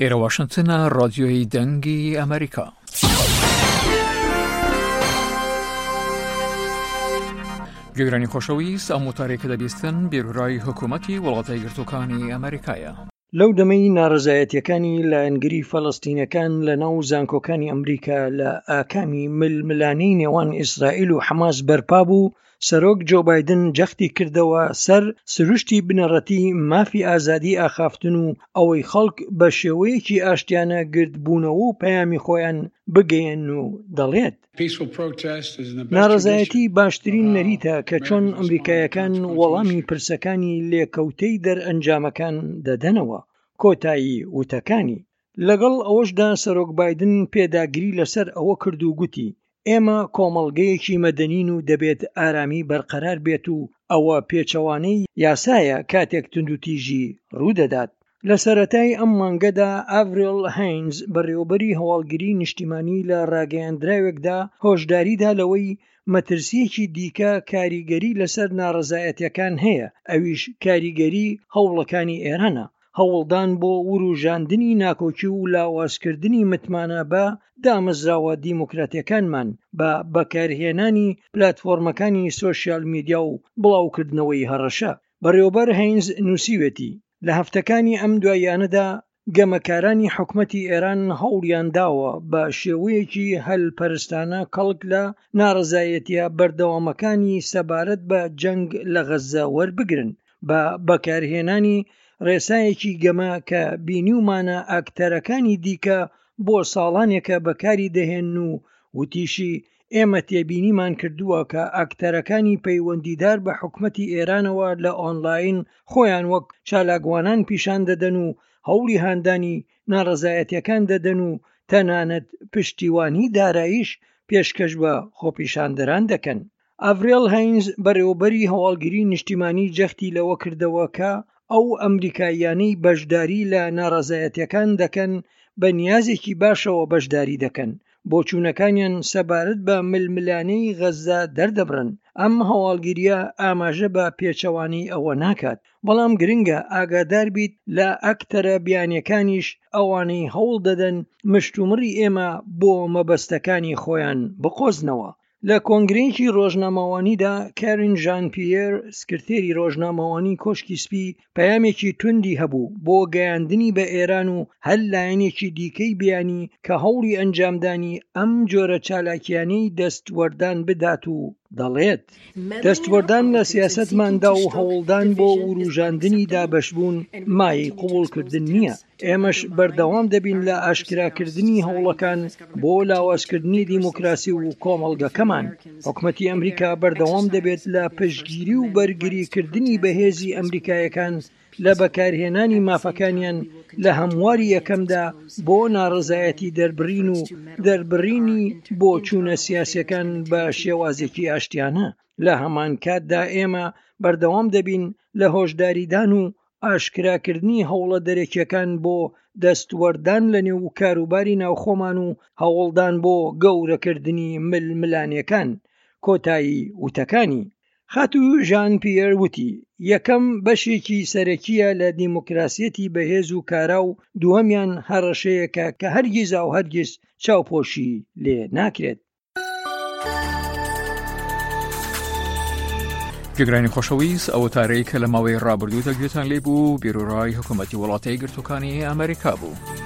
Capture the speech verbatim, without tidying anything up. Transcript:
ئێرە واشنتنە، ڕادیۆی دەنگی ئەمریکا. گوێگرانی خۆشەویست، ئەم وتارەی کە دەبیستن بیرورای حکوومەتی وڵاتە یەکگرتووەکانی ئەمریکایە. لەو دەمەی ناڕەزایەتیەکانی لایەنگری فەلەستینەکان لە ناو زانکۆکانی ئەمریکا لە ئاکامی ململانێی نێوان ئیسرائیل و حەماس بەرپا بوو، سەرۆک جۆ بایدن جەختی کردەوە سەر سروشتی بنەڕەتی مافی ئازادی ئاخافتن و ئەوەی خەڵک بە شێوەیەکی ئاشتیانە گردبوونەوە و پەیامی خۆیان بگەیەن و دەڵێت ناڕەزایەتی باشترین نەریتە کە چۆن ئەمریکایەکان وەڵامی پرسەکانی لێکەوتەی دەرئەنجامەکان دەدەنەوە. کۆتایی وتەکانی. لەگەڵ ئەوەشدا سەرۆک بایدن پێداگری لەسەر ئەوە کرد و گوتی ئێمە کۆمەڵگەیەکی مەدەنین و دەبێت ئارامی بەرقەرار بێت و ئەوە پێچەوانەی یاسایە کاتێک توندوتیژی ڕوودەدات. لە سەرەتای ئەم مانگەدا ئاڤریل هاینز بەڕێوەبەری هەواڵگری نیشتیمانی لە ڕاگەیاندراوێکدا هۆشداریدا لەوەی مەترسیەکی دیکە کاریگەری لەسەر ناڕەزایەتیەکان هەیە، ئەویش کاریگەری هەوڵەکانی ئێرانە، هەوڵدان بۆ وروژاندنی ناکۆکی و لاوازکردنی متمانە بە دامەزراوە دیموکراتیەکانمان بە بەکارهێنانی پلاتفۆرمەکانی سۆشیال میدیا و بڵاوکردنەوەی هەڕەشە. بەڕێوەبەر هەینز نووسیوێتی لە هەفتەکانی ئەم دواییانەدا گەمەکارانی حکومەتی ئێران هەوڵیان داوە بە شێوەیەکی هەلپەرستانە کەڵک لە ناڕەزایەتیە بەردەوامەکانی سەبارەت بە جەنگ لە غەززە وەربگرن بە بەکارهێنانی ڕێسایەکی گەمە کە بینیومانە ئەکتەرەکانی دیکە بۆ ساڵانێکە بەکاری دەهێن و وتیشی ئێمە تێبینیمان کردووە کە ئەکتەرەکانی پەیوەندیدار بە حکومەتی ئێرانەوە لە ئۆنلاین خۆیان وەک چالاکوانان پیشان دەدەن و هەوڵی هاندانی ناڕەزایەتیەکان دەدەن و تەنانەت پشتیوانی داراییش پێشکەش بە خۆپیشاندەران دەکەن. ئاڤرێل هاینز بەڕێوەبەری هەواڵگری نیشتیمانی جەختی لەوە کردەوە کە ئەو ئەمریکاییانەی بەشداری لە ناڕەزایەتیەکان دەکەن بە نیازێکی باشەوە بەشداری دەکەن، بۆچوونەکانیان سەبارەت بە ململانێی غەززە دەردەبڕن. ئەم هەواڵگریە ئاماژە بە پێچەوانەی ئەوە ناکات، بەڵام گرنگە ئاگادار بیت لە ئەکتەرە بیانیەکانیش ئەوانەی هەوڵ دەدەن مشتومڕی ئێمە بۆ مەبەستەکانی خۆیان بقۆزنەوە. لە کۆنگرەیەکی ڕۆژنامەوانیدا کارین ژان پیێر سکرتێری ڕۆژنامەوانی کۆشکی سپی پەیامێکی توندی هەبوو بۆ گەیاندنی بە ئێران و هەر لایەنێکی دیکەی بیانی کە هەوڵی ئەنجامدانی ئەم جۆرە چالاکیانەی دەستوەردان بدات و دەڵێت دەستوەردان لە سیاسەتماندا و هەوڵدان بۆ وروژاندنی دابەشبوون مایەی قبوڵکردن نییە. ئێمەش بەردەوام دەبین لە ئاشکراکردنی هەوڵەکان بۆ لاوازکردنی دیموکراسی و کۆمەڵگەکەمان. حکومەتی ئەمریکا بەردەوام دەبێت لە پشتگیری و بەرگریکردنی بەهێزی ئەمریکایەکان لە بەکارهێنانی مافەکانیان لە هەمواری یەکەمدا بۆ ناڕەزایەتی دەربڕین و دەربڕینی بۆچوونە سیاسیەکان بە شێوازێکی ئاشتیانە. لە هەمان کاتدا ئێمە بەردەوام دەبین لە هۆشداریدان و ئاشکراکردنی هەوڵە دەرەکیەکان بۆ دەستوەردان لە نێو کاروباری ناوخۆمان و هەوڵدان بۆ گەورەکردنی ململانێکان. کۆتایی وتەکانی. خاتوو ژان پیێر وتی یەکەم بەشێکی سەرەکیە لە دیموکراسیەتی بەهێز و کارا و دووەمیان هەڕەشەیەکە کە هەرگیز و هەرگیز چاوپۆشی لێ ناکرێت. گوێگرانی خۆشەویست، ئەوە تارەی کە لە ماوەی ڕابردوودا گوێتان لێ بوو بیرۆڕای حکوومەتی وڵاتە یەکگرتووەکانی ئەمریکا بوو.